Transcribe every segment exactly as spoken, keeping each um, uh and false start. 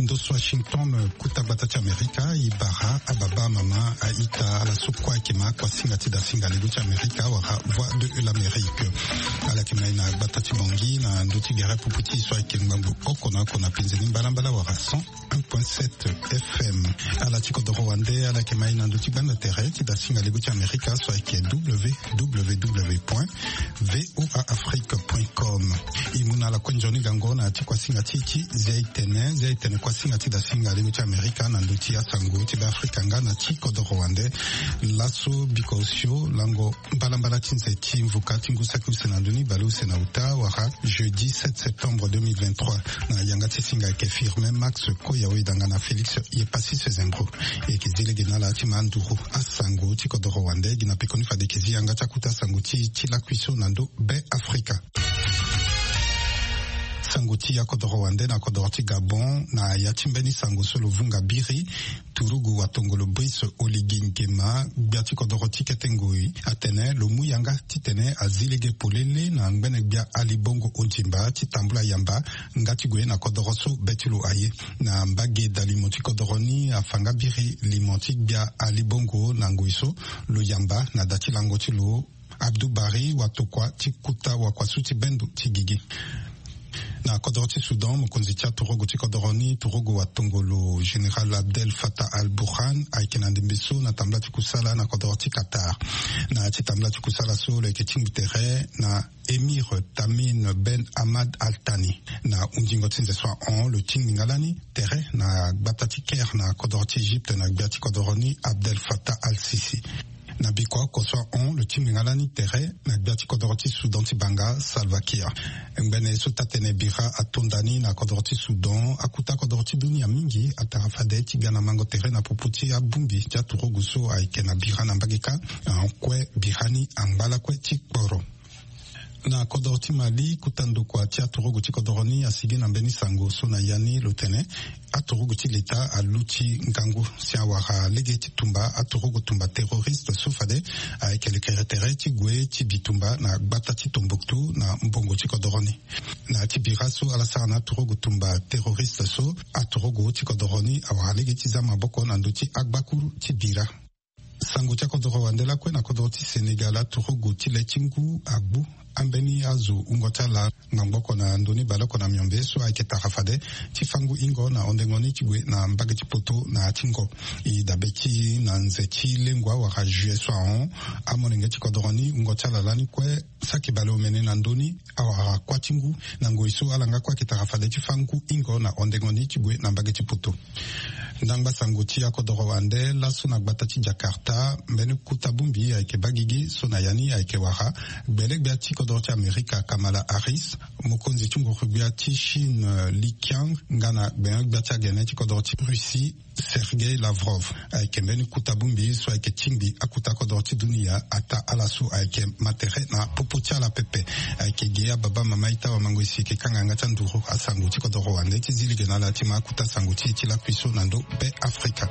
Ndo so Washington, kuta gbata ti Amerika, e bara ababa, amama, a-ita, ala so kue ayeke ma kuasinga ti dasinga lego ti Amerika wala Voix de l'Amérique. Ala yeke ma e na gbata ti Bangui na ndö ti gere pupu ti e so ayeke ngbangbo oko na oko na penze ni mbalambala wala cent un point sept F M. Ala ti kodoro wande ala yeke ma e na ndö ti gbanda tere ti dasinga lego ti Amerika so ayeke W W W point V O A Afrique point com. E mu na ala kue nzoni gango na ya ti kuasinga ti e ti zia e tene, zia e tene kuasinga ti dasinga lego ti Amerika na ndö ti asango ti Beafrika nga na ti kodoro wande. Laso biko osio lango mbalambala ti nze ti mvuka ti ngu saki use na ndö ni bale use na uta wala jeudi sept septembre deux mille vingt-trois. Na yanga ti singa ayeke Firmin Max Koyawe danga na Félix Yepassis Sezembro. E yeke zi lege na ala ti ma nduru asango ti kodoro wande gi na pekoni fade e yeke zi yanga ti akuta sango ti, ti lakui so na ndö Beafrika. Sango ti akodoro wande na kodoro ti Gabon, na ya ti mbeni sango so lo vunga biri, turugu watongolo Brice Oligui Nguema, gbia ti kodoro ti kete ngoi, atene lo mu yanga titene azi lege polele na ngbene gbia Ali Bongo Ondimba ti tambula yamba nga ti gue na kodoro so be ti lo aye. Na mbage dalimo ti kodoro ni afa nga biri limo ti gbia Ali Bongo na ngoi so lo yamba na da ti lango ti lo Abdou Barry Watokua ti kuta wakuasu ti bendo ti gigi. Na kodoro ti Soudan, mokonzi ti aturugu ti kodoro ni, turugu watongolo Général Abdel Fattah al-Burhan, ayeke na ndembe so na tambula ti kusala na kodoro ti Qatar. Na ya ti tambula ti kusala so lo yeke tingbi tere na Émir Tamim Ben Hamad Al Thani. Na hunzingo ti nze so ahon, lo tingbi nga lani tere na gbata ti Caire na kodoro ti Egypte na gbia ti kodoro ni Abdel Fattah al-Sisi. Na bikua oko so ahon, lo tingbi nga lani tere na gbia ti kodoro ti Soudan ti banga, Salva Kiir. Ngbene so taa-tene bira ato nda ni na kodoro ti Soudan, akuta kodoro ti dunia mingi atara fade ti ga na mango tere na popo ti abongbi ti aturugu so ayeke na bira na mbage kâ. Ahon kue bira ni angba lakue ti kporo. Na kodoro ti Mali, kuta ndokua ti aturugu ti kodoro ni asigi na mbeni sango so na ya ni lo tene aturugu ti leta aluti ngangu si awara lege ti tumba aturugu tumba terroriste so fade ayeke lekere tere ti gue ti bitumba na gbata ti Tombouctou na mbongo ti kodoro ni. Na ya ti bira so ala sara na aturugu tumba terroriste so, aturugu ti kodoro ni awara lege ti za maboko na ndö ti agbakuru ti bira. Sango ti akodoro wande lakue na kodoro ti Sénégal, aturugu ti le ti ngu agbu ambeni azo wungo ti ala ngbangbo oko na ndö ni baleoko na miombe so ayeke tara fade ti fangu hingo na hondengo ni ti gue na mbage ti poto na ya ti ngo. E dabe ti na nze ti lengua wala juillet so ahon, amolenge ti kodoro ni wungo ti ala lani kue saki baleomene na ndö ni awara kuâ ti ngu na ngoi so ala nga kue ayeke tara fade ti fangu hingo na hondengo ni ti gue na mbage ti poto. Ndangba sango ti akodoro wande laso na gbata ti Jakarta, mbeni kuta bongbi ayeke baa gigi so na ya ni ayeke wara gbele-gbia ti kodoro ti Amerika Kamala Harris, mokonzi ti nguru-gbia ti Chine Li Qiang nga na gbene-gbia ti agene ti kodoro ti Russie Sergei Lavrov. Ayeke mbeni kuta bongbi so ayeke tingbi akuta kodoro ti dunia ataa ala so ayeke ma tere na popo ti ala pepe. Ayeke ge ababa, mama, ita, wamango, e si e yeke kanga yanga ti anduru asango ti kodoro wande ti zi lege na ala ti ma akuta sango ti e ti lakui so na ndö Beafrika.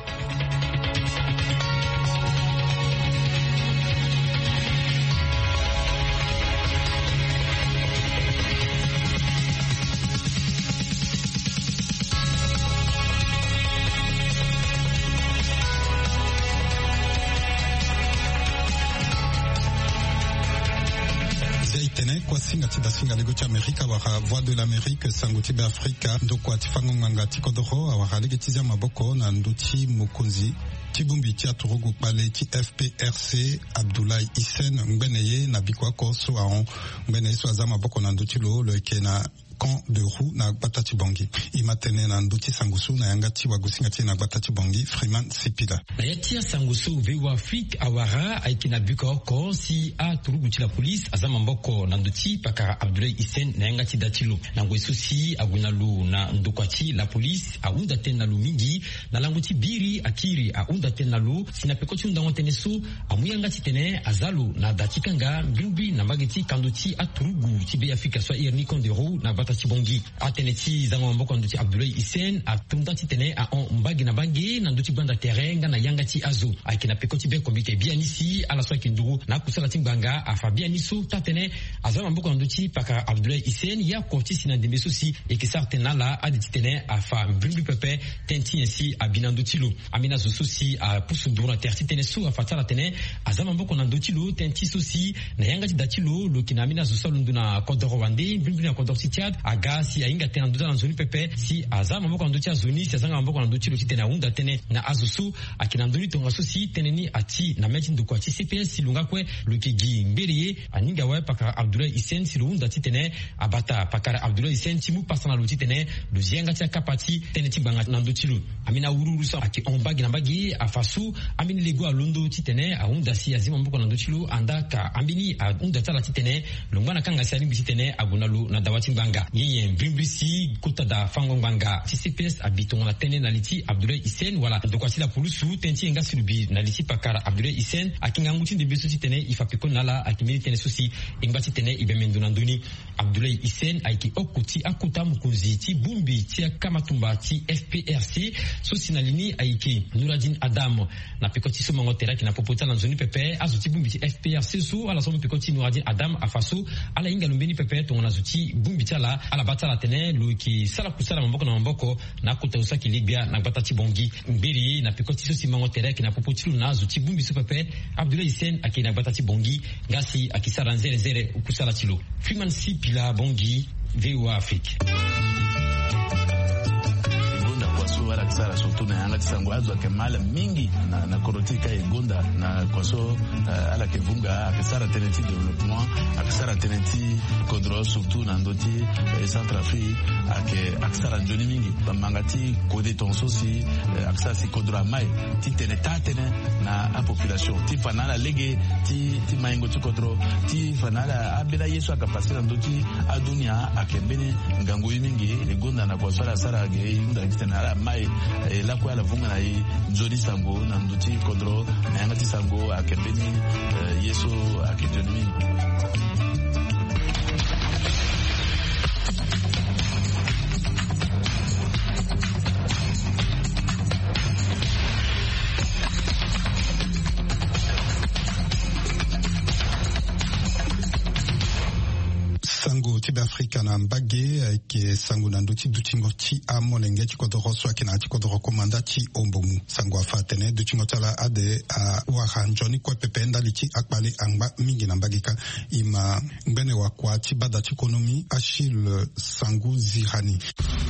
Zia e tene kuasinga ti dasinga lego ti Amerika wala Voix de l'Amérique, sango ti Beafrika, ndokua ti fango ngbanga ti kodoro awara lege ti zia maboko na ndö ti mokonzi ti bongbi ti aturugu kpale ti F P R C, Abdoulaye Hissène, ngbene ye na bikua oko so ahon. Ngbene ye so aza maboko na ndö ti lo, lo yeke na Camp de Roux na gbata ti Bangui. E ma tene na ndö ti sango so na yanga ti wagosinga ti e na gbata ti Bangui, Freeman Sipila. Na ya ti asango so V O A Afrique awara ayeke na bikua oko si aturugu ti la police aza maboko na ndö ti pakara Abdoulaye Hissène na yanga ti da ti lo. Na ngoi so si ague na lo na ndokua ti la police ahunda tënë na lo mingi na lango ti biri akiri ahunda tënë na lo si na peko ti hundango tënë so amu yanga titene aza lo na da ti kanga mbi mbi na mbage ti kando ti aturugu ti Beafrika so ahiri ni Camp de Roux na gbata ti bongi. Atene ti zango maboko na ndö ti Abdoulaye Hissène atonda titene ahon mbage na mbage na ndö ti gbanda tere nga na yanga ti azo. Ayeke na peko ti be komite biani si ala so ayeke nduru na akusala ti ngbanga afa biani so taa-tënë aza maboko na ndö ti pakara Abdoulaye Hissène, ye oko ti si na ndembe so si e yeke sara tënë na ala ade titene afa mbrimbri pepe tënë ti nyen si abi na ndö ti lo. Ambeni azo so si apusu nduru na tere ti tënë so afa ti ala atene aza maboko na ndö ti lo tënë ti so si na yanga ti da ti lo lo yeke na ambeni azo so alondo na kodoro wande mbrimbri na kodoro ti Tchad aga si ahinga tënë na ndö ti ala na nzoni pepe si aza maboko na ndö ti azo ni si azanga maboko na ndö ti lo titene ahunda tënë na azo so ayeke na ndö ni tongaso si tënë ni ati na mê ti ndokua ti C P S si lo nga kue lo yeke gi ngbere ye. Aninga awe pakara Abdoulaye Hissène si lo hunda titene abata pakara Abdoulaye Hissène ti mu pasa na lo titene lo zi yanga ti akapa ti tënë ti ngbanga na ndö ti lo. Ambeni awuruwuru so ayeke hon mbage na mbage afa so ambeni lego alondo titene ahunda si azi maboko na ndö ti lo andaa ka ambeni ahunda ti ala titene lo ngba na kanga si alingbi titene ague na lo na dawa ti ngbanga. Ye nyen mbrimbri si kota da fango ngbanga ti C P S abi tongana tënë na li ti Abdoulaye Hissène wala ndokua ti lapulusu tënë ti e nga si lo bi na li ti pakara Abdoulaye Hissène ayeke ngangu ti ndembe so titene e fa pekoni na ala ayeke mbeni tënë so si e ngba titene e bembe ndo na ndö ni. Abdoulaye Hissène ayeke oko ti akota mokonzi ti bongbi ti akamatumba ti F P R C so si na li ni ayeke Nouradine Adam. Na peko ti so mango tere ayeke na popo ti ala na nzoni pepe azo ti bongbi ti F P R C so ala so mu peko ti Nouradine Adam afa so ala hinga lo mbeni pepe tongana zo ti bongbi ti ala ala baa ti ala atene lo yeke sara kusala maboko na maboko na akota zo so ayeke legbia na gbata ti Bangui. Ngbere na peko ti so si mango tere ayeke na popo ti lo na azo ti bongbi so pepe Abdoulaye Hissène ayeke na gbata ti Bangui nga si ayeke sara nzere nzere kusala ti lo. Freeman Sipila Bangui, V O A Afrique. E gonda kua so ala yeke sara surtout na yanga ti sango azo ayeke mal mingi na, na kodro ti e ka e gonda na kua so, eh, ala yeke vunga ayeke sara tënë ti développement, ayeke sara tënë ti kodro surtout na ndö ti, eh, Centrafrique ayeke, ayeke sara nzoni mingi. Bamanga ti kode tongaso si, eh, ayeke sara si kodro amai titene taa-tënë na apopulation ti fa na ala lege ti, ti maingo ti kodro ti fa na ala ambeni aye so ayeke pase na ndö ti adunia ayeke mbeni ngangu ye mingi. E gonda na kua so ala sara ge e hunda titene ala mai, eh, lakue ala vunga na e nzoni sango na ndö ti kodro na yanga ti sango ayeke mbeni, eh, ye so ayeke nzoni mingi. Sango ti Beafrika na mbage ayeke sango na ndö ti dutingo ti amolenge ti kodoro so ayeke na ya ti kodoro komanda ti Ombomu. Sango afa atene dutingo ti ala ade awara nzoni kue pepe ndali ti akpale angba mingi na mbage kâ. E ma ngbene wakua ti bada ti konomi Achille Sangu Zirani.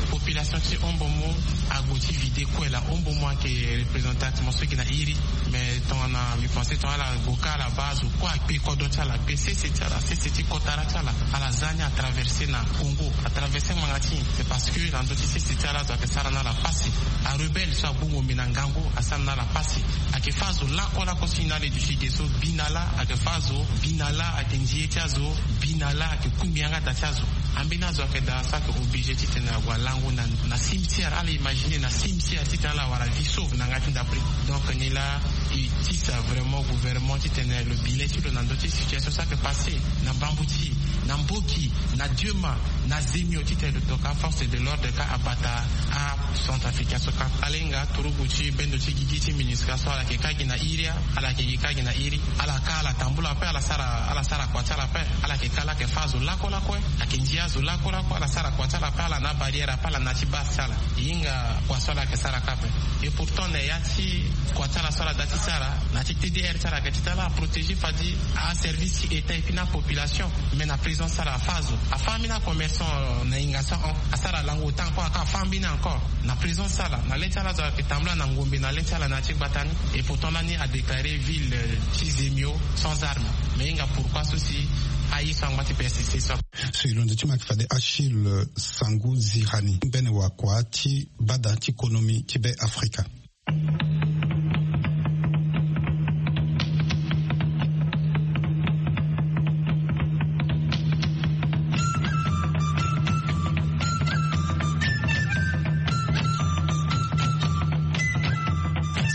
Population ti Ombomu agbo ti vide kue laa. Ombomu ayeke représente ti mo so gi na iri. Mais tongana mbi pense tongana ala gbo kâ ala baa azo kue akpe kodro ti ala, akpe sese ti ala, sese ti kotara ti ala. Ala za ni atraverse na Congo, atraverse ngbanga ti nyen? C'est parce que na ndö ti sese ti ala azo ayeke sara na ala pasi. Arebelle so agbu ngombe na ngangu asara na ala pasi. Ayeke fâ azo lakue lakue so e na ala e duti ge so, bi na lâ ayeke fâ azo, bi na lâ ayeke nzie ti azo, bi na lâ ayeke kungbi yanga da ti azo. Ambeni azo ayeke daa so ayeke obligé titene ague alango na, na cimetière. Ala imagine na cimetière titene ala wara vie sauve na yanga ti ndapre. Donc ni laa e tisa vraiment gouvernement titene lo bi le ti lo na ndö ti situation so ayeke passé na Bambouti, na Mboki, na Diema, na Zemio titene lo toka aforce de l'ordre kâ abata acentrafricain so kâ. Ala hinga turugu ti bendo ti gigi ti MINUSCA so ala yeke kâ gi na iri, ala yeke gi kâ gi na iri. Ala kâ ala tambula ape, ala sara, ala sara kua ti ala ape. Ala yeke kâ laa ayeke fâ azo lakue lakue, ayeke ndia azo lakue lakue. Ala sara kua ti ala ape, ala na abarrière ape, ala na ya ti base ti ala. E hinga kua so ala yeke sara kâ ape. Et pourtant na ya ti kua ti ala so ala da ti sara, na ya ti T D R ti ala ayeke ti tene ala protéger fadi aservice ti État et puis na apopulation. Mais na présence ti ala afâ azo, afâ ambeni acommerçant na hinga so ahon, asara lango ota encore, aka afâ ambeni encore. Na présence ti ala, na le ti ala azo ayeke tambula na ngombe na le ti ala na ya ti gbata ni. Et pourtant lani adéclaré ville, euh, ti Zemio sans armes. Mais e hinga pourquoi so si aye so angba ti persister so. So e londo ti mo ayeke fade Achille Sangu Zirani, ngbene wakua ti bada ti konomi ti Beafrika.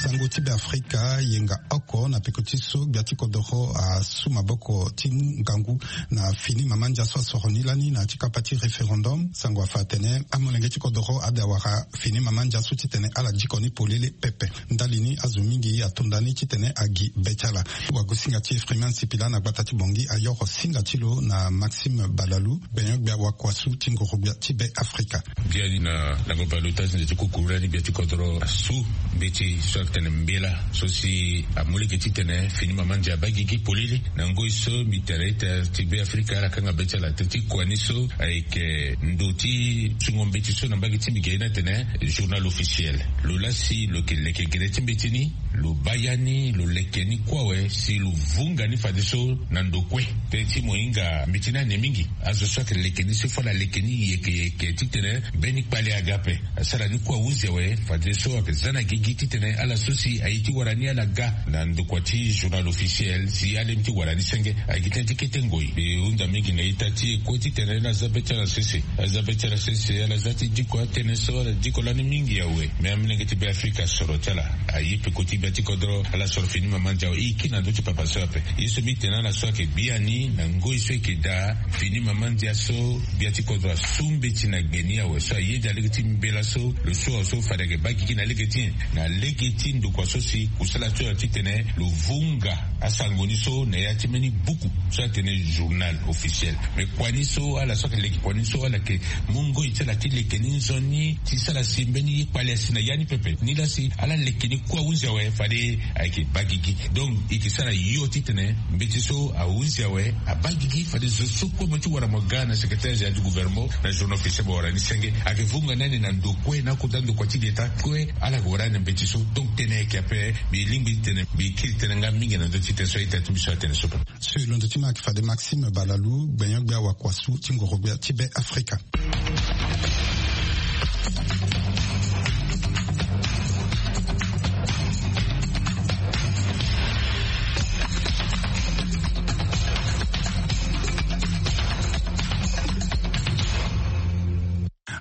Sango ti Beafrika yenga oko. na peko ti so gbia ti kodoro asu maboko ti mu ngangu na fini mama ndia so asoro ni lani na ya ti kapa ti référendum. Sango afa atene amolenge ti kodoro ade awara fini mama ndia so titene ala diko ni polele pepe. Ndali ni azo mingi atonda ni titene agi be ti ala. Wagosinga ti Freeman Sipila na gbata ti Bongi ayoro singa ti lo na Maxime Balalu, gbenyo-gbia wakuasu ti ngoro-gbia ti Be Afrika. Biani na lango baleota ti nze ti kukuru lani gbia ti kodoro asu mbeti so atene mbela so si amu lege titene fini mama ndia abaa gigi polele. Na ngoi so mbi tene ita ti Be Afrika ala kanga be ti ala, teti kua ni so ayeke ndo ti sungo mbeti so na mbage ti mbi ge ni atene journal officiel. Lo laa si lo yeke leke gere ti mbeti ni, lo baa ya ni, lo leke ni kue awe si lo vunga ni fadeso na ndo kue. Teti mo hinga mbeti ni ane mingi. Azo so ayeke leke ni so fo ala leke ni yeke yeke titene mbeni kpale aga ape. Asara ni kue ahunzi awe fadeso ayeke za na gigi titene ala so si aye ti wara ni ala ga na ndokua ti journal officiel si alemi ti wara ni senge. Ayeke gi tënë ti kete ngoi. Mbi hunda mingi na ita ti e kue titene ala za be ti ala sese. Ala za be ti ala sese, ala za ti diko atënë so ala diko lani mingi awe. Me amolenge ti Be Afrika asoro ti ala aye peko ti gbia ti kodro, ala soro fini mama ndia awe. E yeke na ndö ti papa so ape. Ye so mbi tene na ala so ayeke biani na ngoi so e yeke daa, fini mama ndia so gbia ti kodro asu mbeti na gbe ni awe so ayeda lege ti mbela so lo so awe so fade ayeke baa gigi na lege ti nyen? Na lege ti ndokua so si kusala ti lo titene lo vunga asango ni so na ya ti mbeni buku so atene journal officiel. Me kua ni so ala so ayeke leke kua ni so ala yeke mu ngoi ti ala ti leke ni nzoni ti sara si mbeni ye kpale asi na ya ni pepe. Ni laa si ala leke ni kue ahunzi awe fade ayeke baa gigi. Donc e yeke sara yo titene mbeti so ahunzi awe abaa gigi fade zo so kue mo ti wara mo ga na secrétaire général du gouvernement na journal officiel mo wara ni senge. Ayeke vunga ni ane na ndo kue na akota ndokua ti leta kue ala yeke wara ni na mbeti so. Donc tënë ayeke ape. Mbi lingbi titene mbi kiri tënë nga mingi na ndö ti tënë so a-ita ti mbi so atene so. So e londo ti ma ayeke fade Maxime Balalu, gbenyo-gbia wakuasu ti ngoro-gbia ti Be Afrika.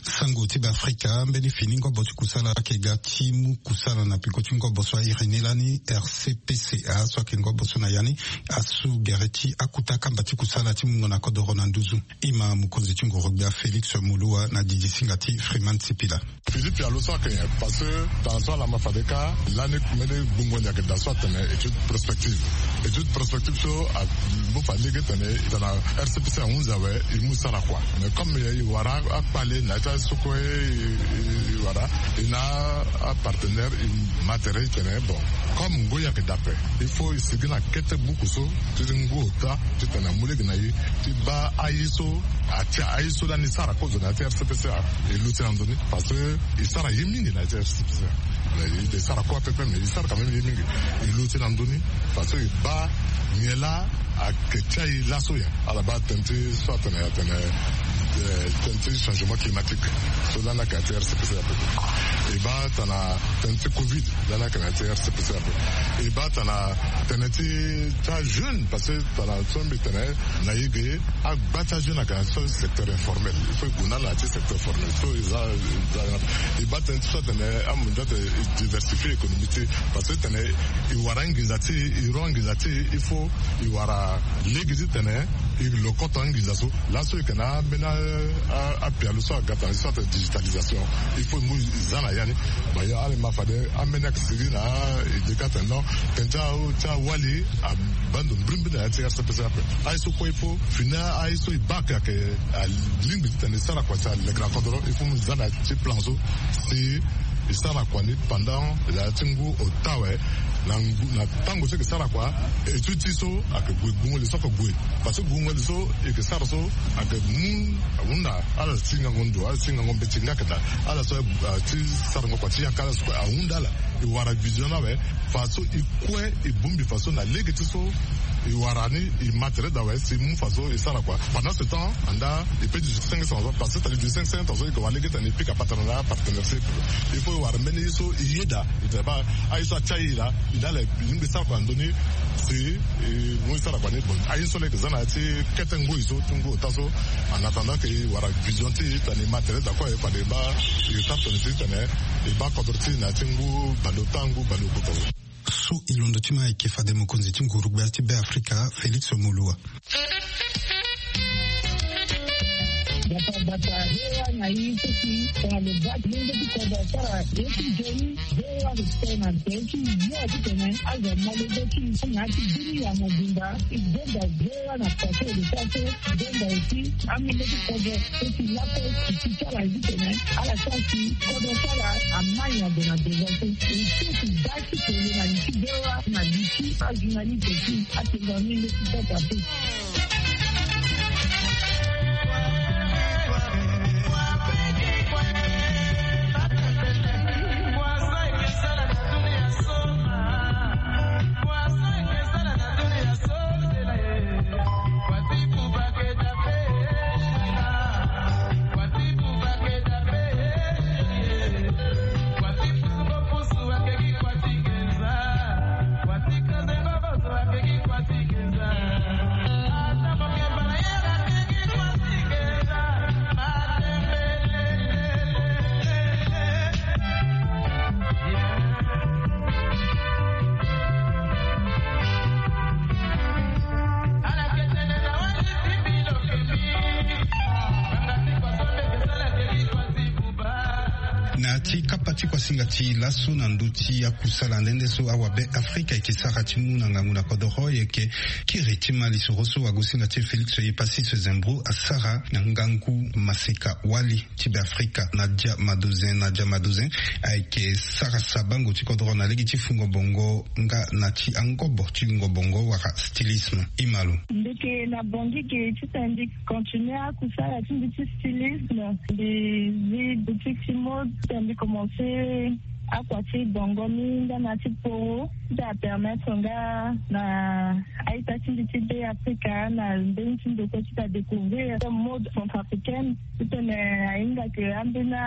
Sango ti Be Afrika, mbeni fini ngobo ti kusala ayeke ga ti mu kusala na peko ti ngobo so airi ni lani R C P C A so ayeke ngobo so na ya ni asu gere ti akuta kamba ti kusala ti mungo na kodoro na nduzu. Ima mokonzi ti ngoro-gbia Félix Moloua na didi singa ti Freeman Sipila. Philippe Yalo so ayeke nyen? Parce que tana so ala ma fade kâ lani mbeni gbungo ni ayeke daa so atene étude prospective. Étude prospective so a- Mbo fa lege tene tana R C P C ahunzi awe, e mu sara kua. Mais comme e wara akpale na ya ti aye so kue e wara, e na apartenaire e ma tere e tene bon, comme ngoi ayeke daa ape, il faut e sigi na kete buku so ti ngu ota titene amu lege na e ti baa aye so atia aye so lani e sara kozo na ya ti R C P C, e luti na ndoni. Parce que e sara ye mingi na ya ti R C P C. Mais e sara kua pepe, mais e sara quand même ye mingi. E luti na ndoni. Parce que e baa nyen laa ayeke ti aye laso ya. Ala baa tënë ti so atene atene, eh, tënë ti changement climatique so lani ayeke na ya ti R C P C ape. E baa tana tënë ti covid lani ayeke na ya ti R C P C ape. E baa tana tënë ti ti ajeune, parce que tana so mbi tene na e ge, agba ti ajeune ayeke na so secteur informel. Il faut e gue na ala na ya ti secteur formel so e za, e za. E baa tënë ti so atene amundu atene e diversifier économie ti e. Parce que tene e wara anginza ti e, e ro anginza ti e, il faut e wara lege titene e lokoto anginza so. Laso e yeke na ambeni a- a- apialo so aga tana so atene digitalisation. Il faut e mu e za na ya ni. Bon, ala ma fade ambeni ayeke sigi na e de kâ atene non, tënë ti a- ti awali abaa ndo mbirimbiri na ya ti R C P C ape. Aye so kue il faut fini aye so e baa ayeke alingbi titene e sara kua si aleke na kodoro, il faut mu e za na ya ti plan so si e sara kua ni pendant na ya ti ngu ota awe. Na ngu na tango so e yeke sara kua, étude ti e so ayeke gue, gbungo li so ayeke gue. Parce que gbungo li so e yeke sara so ayeke mu ahunda ala ti ngango ndo, ala ti ngango mbeti nga ayeke daa. Ala so, ah, ti sarango kua ti yaka ala so kue ahunda ala. E wara vision ni awe. Faso e kue e bongbi faso na lege ti so e wara ni, e ma tere daa awe si e mu faso e sara kua. Pendant ce temps, andaa e peut duti cinq cents ans, parce que tali duti cinq cents ans so e yeke wara lege titene e pika patara na apartenaire so e pika. Il faut e wara mbeni ye so e yeda, e tene baa aye so atia e laa, e na ala e lingbi sara kua na ndö ni si e mu e sara kua ni. Bon, aye so laa e yeke za na ya ti kete ngoi so ti ngu ota so. En attendant que e wara vision ti e titene e ma tere daa kue, fade e baa e sara tongana titene e baa kodro ti e na ya ti ngu baleota, ngu baleokota so. So e londo ti ma ayeke fade mokonzi ti nguru gbia ti Be Afrika, Félix Moloua. Bata bata, hewa na i soki tongana lo baa ti lenge ti kodro asara ye ti nzoni, hewa respect na nze ti yo ti tene azo mole be ti na ya ti bini ya mobimba. I gbenda hewa na pase de sa so gbenda aussi amenge ti kodro so ti lako ti ti sara ye ti tene ala sara si kodro sara amai na ndo na devant so. E so ti baa ti tene na li ti hewa na li ti ajournaliste ti atenda menge ti sasa pe. Na ti kapa ti kuasinga ti laso na ndö ti akusala nde nde so awabe Afrika ayeke sara ti mu na ngangu na kodoro, ayeke kiri ti ma lisoro so agosinga ti e Félix Epassy Sezembro asara na ngangu maseka wali ti Be Afrika Nadia Madozin. Nadia Madozin ayeke sara sabango ti kodoro na lege ti fungo bongo nga na ti angobo ti lingo bongo wala stylisme. Imalo. Ndeke na Bangui ge ti tene mbi continue akusala ti mbi ti stylisme. Mbi zi boutique ti mode ti tene mbi commence akua ti bongo ni nga na ti poro ti apermettre nga na a-ita ti mbi ti Be Afrika na mbeni ti ndokua ti ta découvrir mode centrafricaine. Ti tene ahinga ke ambeni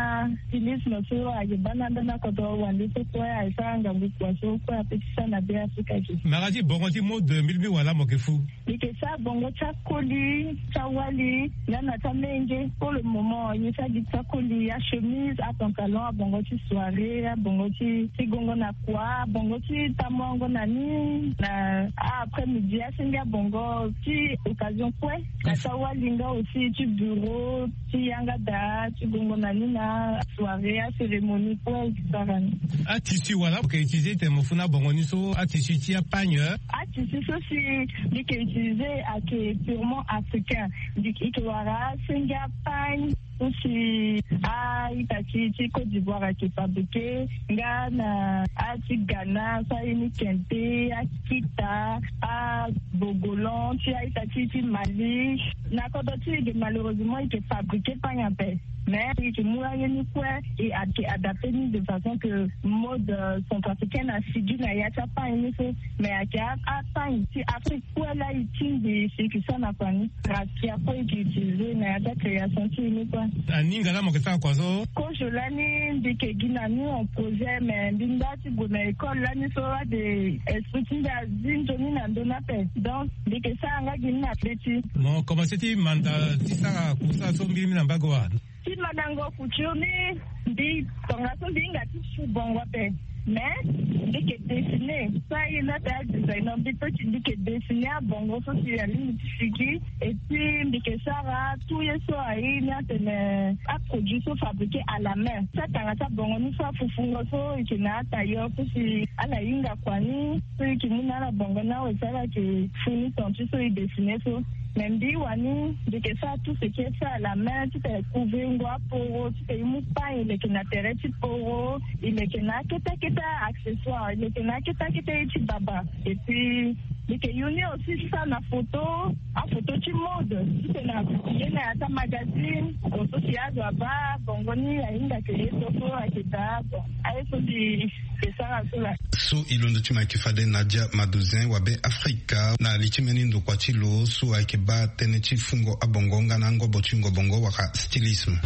stylisme so ayeke baa na ambeni akodro wande so kue ayeke sara ngangu kua so kue ape ti sara na Be Afrika ge. Mara ti bongo ti mode mbi lingbi wala mo yeke fu. Mbi yeke sara bongo ti akoli ti awali nga na ti amenge. Pour le moment mbi sara gi ti akoli, achemise, apantalon, abongo ti soirée, abongo ti ti gongo na kua, abongo ti tamuango na ni na après midi, asenge abongo ti occasion kue. Na ti awali nga aussi ti bureau, ti yanga daa, ti gongo na ni na soirée, acérémonie kue, et cetera. Atissu wala mo yeke utiliser ti tene mo fu na bongo ni so, atissu ti apagne? Atissu so si mbi yeke utiliser ayeke purement africain. Mbi yeke wara asenge apagne so si a-ita ti ti Côte d'Ivoire ayeke fabriquer, nga na a ti Ghana so aye ni kente, akita, abogolan ti a-ita ti ti Mali. Na kodro ti e ge malheureusement e yeke fabriquer pagne ape. Mais e yeke mu aye ni kue, e ayeke adapter ni de façon que mode, euh, centrafricaine asigi na ya ti apagne ni so. Mais ayeke a, apagne ti Afrique kue laa e tingbi si e yeke sara na kua ni. Rakia kue e yeke utiliser na ya ti acréation ti e ni kue. Aninga laa mo yeke sara kua so? Kozo lani mbi yeke gi na ni en projet, mais mbi nda ti gue na école lani so ade esprit ti mbi azi nzoni na ndö ni ape. Donc mbi yeke sara nga gi ni na be ti. Mo commencer ti manda ti sara kusala so mbirimbiri na mbage wa? Ti mandango couture ni, mbi tongaso mbi hinga ti su bongo ape. Mais mbi yeke dessiner so aye ni ate adesigner, mbi peut ti mbi yeke dessiner abongo so si alingbi ti sigi. Et puis mbi yeke sara tout ye so aye ni atene aproduit so fabriquer à la main. Ti atanga ti abongo ni so afufungo so e yeke na atailleur so si ala hinga kua ni so e yeke mu na ala bongo ni awe si ala yeke fu ni ton ti so e dessiner so. Mais mbi wani mbi yeke sara tout ce qui est fait à la main, ti tene couvrir ngo aporo, ti tene e mu pagne e leke na tere ti poro, e leke na akete akete accessoire, e leke na akete akete ye ti baba. Et puis mbi yeke yu ni aussi ti sara na photo, aphoto ti mode, ti tene a publier na ya ti amagazine. Bon, so si azo abaa bongo ni ahinga ke ye so so ayeke daa. Bon, aye so mbi yeke sara so laa. So e londo ti ma ayeke fade Nadia Madozin, wabe Afrika, na li ti mbeni ndokua ti lo so ayeke baa tënë ti fungo abongo nga na angobo ti yungo bongo wala stylisme.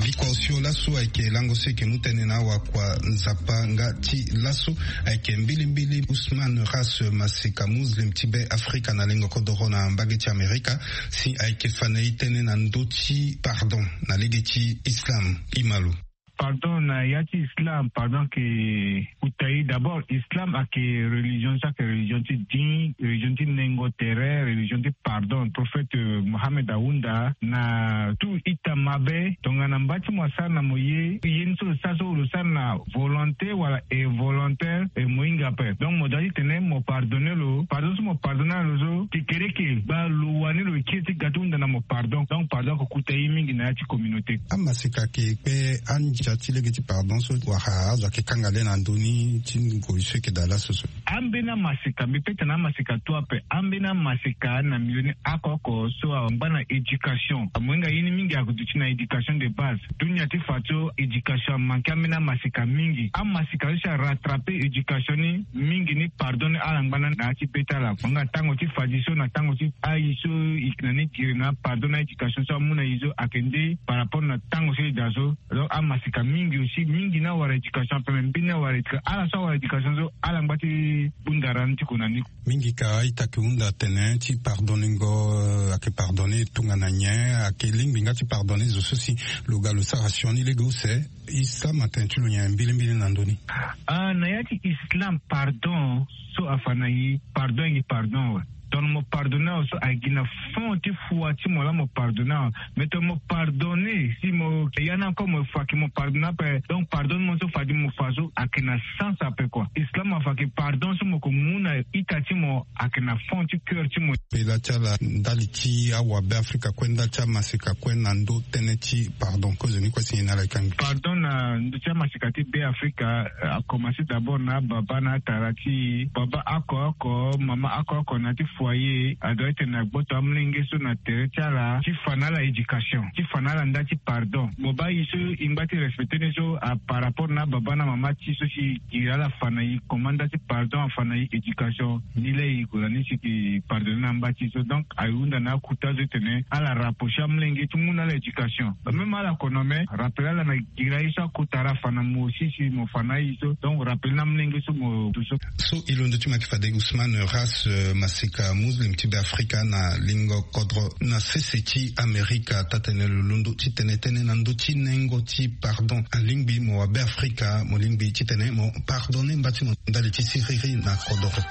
Biko Tio laso ayeke lango so eke mu tënë na awakua nzapa nga ti laso. Ayeke mbilimbili Ousmane Ras, masika muslim ti be Afrika na lengo kodoro na mbage ti Amerika, si ayeke fa na e tënë na ndö ti pardon na lege ti Islam. Imalo. Pardon na ya ti Islam, pardon ke kuta e. D'abord, Islam ayeke religion so ayeke religion ti ding, religion ti nengo tere, religion ti pardon. Prophète Mohamed ahunda na tout ita mabe. Tongana mba ti mo asara na mo ye, ye ni so lo sara so, lo sara na volonté wala involontaire, e mo hinga ape. Donc mo doit ti tene mo pardonner lo. Pardon so mo pardonner lo so, kekereke gba lo wani lo kiri ti ga ti hunda na mo pardon. Donc pardon ayeke kuta e mingi na ya ti communauté. Amaseka ayeke kpe andia ti lege ti pardon so wala azo ayeke kanga le na ndö ni ti ngoi so eke daa laso so? Ambeni amaseka, mbi peut na amaseka to ape. Ambeni amaseka na milieu ni oko oko so angba na éducation. Amohinga ye ni mingi aduti na éducation de base. Dunia ti fa so éducation amanke ambeni amaseka mingi. Amaseka so si arattraper éducation ni mingi ni pardon ni ala ngba na na ya ti be ti ala. Amohinga tango ti fadi so na tango ti ayi so e yeke na ni giri na pardon na éducation so amu na e so ayeke nde par rapport na tango so e daa so. Donc amaseka mingi aussi, mingi ni awara éducation ape, me mbeni awara éducation, ala so awara éducation so ala ngba ti bunda ra ni ti ko na ni. Mingi ka a-ita ayeke hunda atene ti pardonner ngo, eh, ayeke pardonner tongana nyen? Ayeke lingbi nga ti pardonner zo so si lo ga lo sara sioni lege use? Islam atene ti lo nyen mbilimbili na ndö ni? Ah, na ya ti Islam, pardon so afa na e, pardon ayeke pardon awe. Tongana mo pardonner awe so ayeke gi na fond ti foi ti mo laa mo pardonner awe. Mais tongana mo pardonner, si mo ya ni encore mo fa ke mo pardonner ape, donc pardon ni mo so fadi mo fa so ayeke na sens ape quoi. Islam afa ke pardon so mo ko mu na ita ti mo ayeke na fond ti cœur ti mo. Pela ti ala ndali ti awabe Afrika kue, ndali ti amaseka kue na ndö tënë ti pardon, kozo ni kue si nyen na ala e kangbi? Pardon na ndö ti amaseka ti be Afrika, eh, akomanse d'abord na ababa na atara ti e. Baba oko oko, mama oko oko na ya ti foyer, adoit ti tene agboto amolenge so na tere ti ala, ti fa na ala éducation, ti fa na ala nda ti pardon. Mo baa e so e ngba ti respecter ni so, a par rapport na ababa na mama ti e so si e iri ala fa na e, comment nda ti pardon afa na e éducation. Ni laa e ko na ni si e pardonner na mba ti e so. Donc ahunda na akota so ti tene ala rapprocher amolenge ti mu na ala éducation. Même ala kono me rappeler ala na gira ye so akota ra fa na mo aussi si mo fa na ye so. Donc rappeler na amolenge so mo du so. So e londo ti mo ayeke fade Ousmane Ras, eh, maseka muslim ti be Afrika na lingo kodro na sese ti Amerika. Taa-tene lo londo ti tene tënë na ndö ti nengo ti pardon. Alingbi mo wabe Afrika, mo lingbi ti tene mo pardonner mba ti mo ndali ti siriri na kodoro.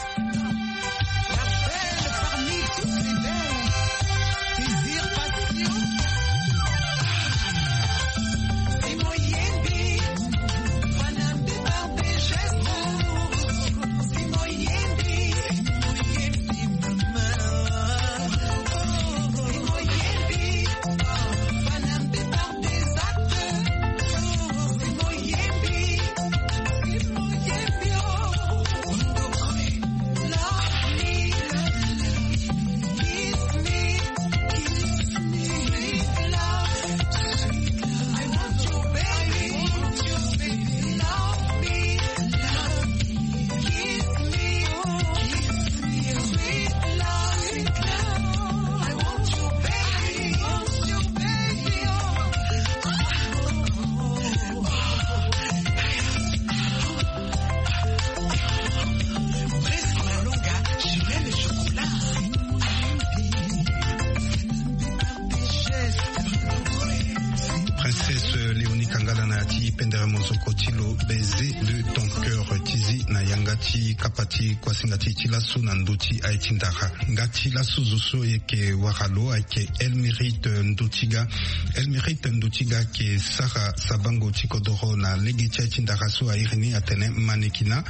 Princesse Léonie Kangala na ya ti pendere mozoko ti lo, baiser de ton cœur, ti zi na yanga ti kapa ti kuasinga ti e ti laso na ndö ti aye ti ndara. Nga ti laso zo so e yeke wara lo ayeke Elmirite Ndotiga. Elmirite Ndotiga ayeke sara sabango ti kodoro na lege ti aye ti ndara so a iri ni atene Manekina,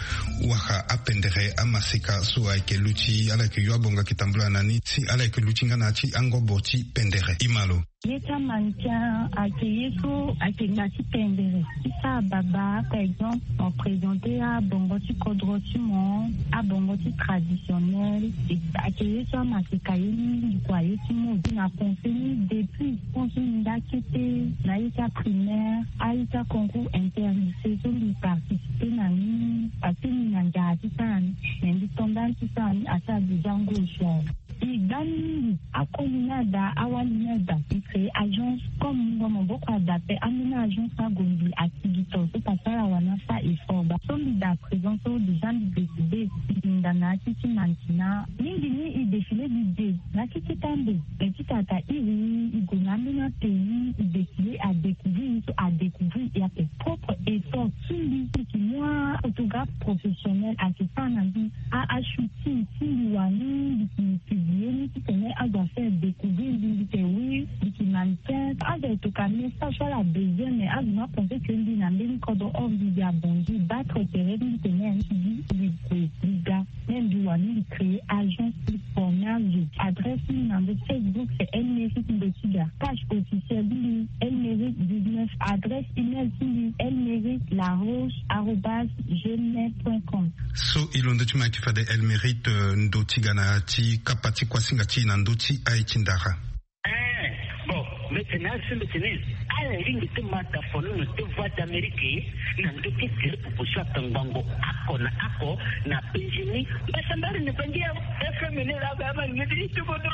wara apendere amaseka so ayeke luti, ala yeke yo abonga ayeke tambula na ni si ala yeke luti nga na ya ti angobo ti pendere. Imalo. Ye ti amankia ayeke ye so ayeke nga ti pendere ti sara baba, par exemple mo présenter abongo ti kodro ti mo, abongo ti traditionnel. Ayeke ye so amaseka ye mingi kua, ye ti mo gi na pensé ni depuis pense ni nda kete na ye ti aprimaire, aye ti aconcours interlycée so mbi participer na ni parce que mbi na nzara ti sara ni, mais mbi to nda ni ti sara ni asara déjà ngoi so awe. E gba ni mingi. Akoli ni ada, awali ni ada, e créer agence. Comme mungo maboko ada pe, ambeni agence ni ague mbi akigito so pasara wani asa effort. Ba so mbi da présent so déjà mbi décidé, mbi hinga na ya ti ti mannequinat. Mingi ni e défilé mbi de na ya ti ti tambe. Mais ti tata iri, e gue na ambeni apays, e défilé, a découvrir ni so a découvrir e ape. Propre effort ti mbi, mbi yeke mu aphotographe professionnel ayeke sara na mbi a, ashooting ti mbi wani, mbi yeke publié ni titene azo afaire découvrir mbi, mbi yeke oui, mbi yeke mannequin. Azo ayeke toka message so ala besoin, mais azo ni apenser que mbi na mbeni kodro, or mbi, mbi abongi, battre tere ti mbi tene mbi, mbi gue, mbi ga. Même mbi wani mbi créer agence ti formage. Adresse ni na ndo Facebook c'est Elmeric Ndotiga. Page officielle ni Elmeric dix-neuf. Adresse email ti mbi elmeric laroche arobase gmail point com. So e londo ti ma yeke fade Elmeric, euh, Ndotiga na ya ti kapa ti kuasinga ti e na ndö ti aye ti ndara. Eh, bon, mbi tene asi mbi tene ala lingbi ti ma dafono na ti Voix d'Amérique na ndö ti tere popo so atangbango ako na ako na penzi ni. Mbasambari ni bangi ya F M ni la ba ma ni ti ti bodo.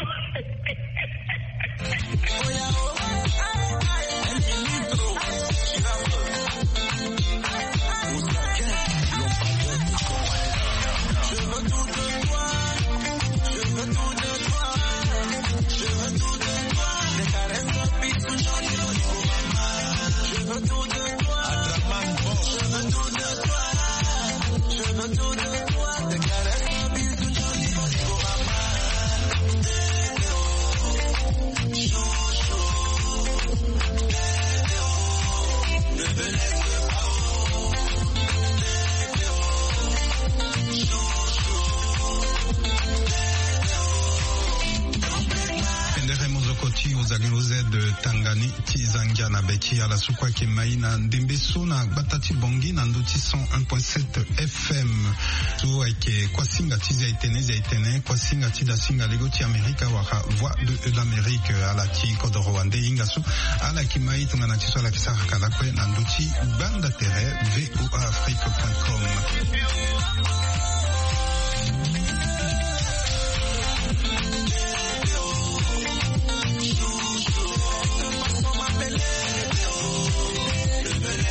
Pendere mozoko ti Ozali Ozed Tangani ti Zangia na be ti ala so kue ayeke mai na ndembe so na gbata ti Bangui na ndö ti cent un point sept F M. So ayeke kuasinga ti Zia-Itene, Zia-Itene, kuasinga ti dasinga lego ti Amerika wala Voix de l'Amérique. Ala ti kodoro wande hinga so ala yeke mai tongana ti so ala yeke sara kala kue na ndö ti gbanda tere V O A Afrique point com.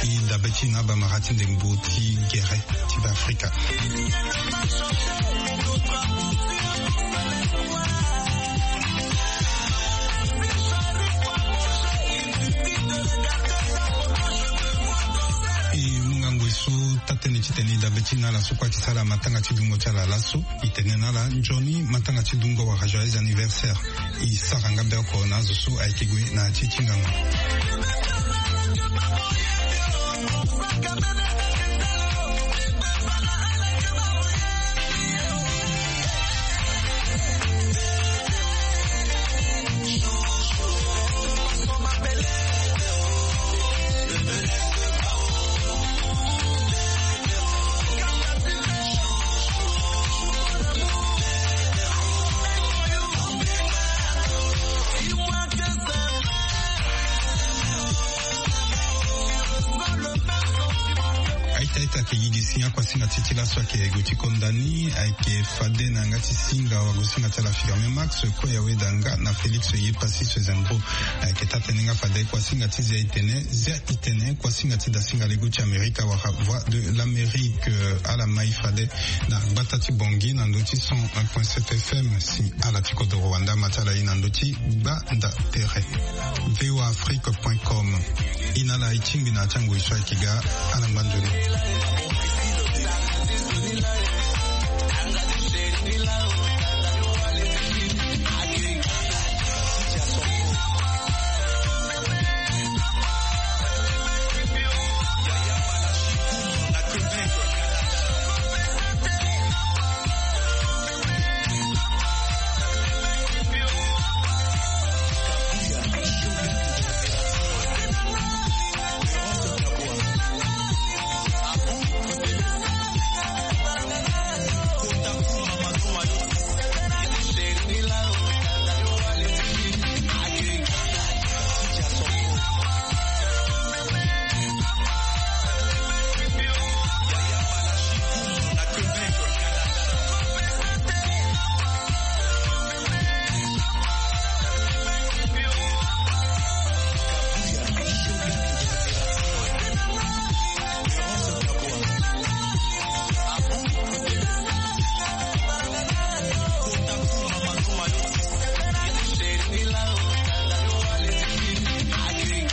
E dabe ti na bamara ti ndembo ti gere ti Beafrika. E mu ngangu so taa-tënë ti tene e dabe ti na ala so kue ayeke sara matanga ti dungo ti ala laso. E tene na ala nzoni matanga ti dungo wala joyeux anniversaire. E sara nga be oko na azo so ayeke gue na ya ti ti ngangu. Aita aita ayeke yigi si akuasinga ti ti laso ayeke gue ti konda ni, ayeke fade na yanga ti singa wagosinga ti ala Firmin Max, Koya Weda nga na Félix Yepassis Zembro. Ayeke taa-tënë nga fade kuasinga ti Zia-Itene, Zia-Itene, kuasinga ti dasinga lego ti Amerika wala Voix de l'Amérique. Ala mai fade na gbata ti Bangui na ndö ti cent un point sept F M. Si ala ti kodoro wande ama ti ala e na ndö ti gbanda tere. V O A Afrique point com. E na ala e tingbi na ya ti angoi so ayeke ga. Ala ngba nzoni.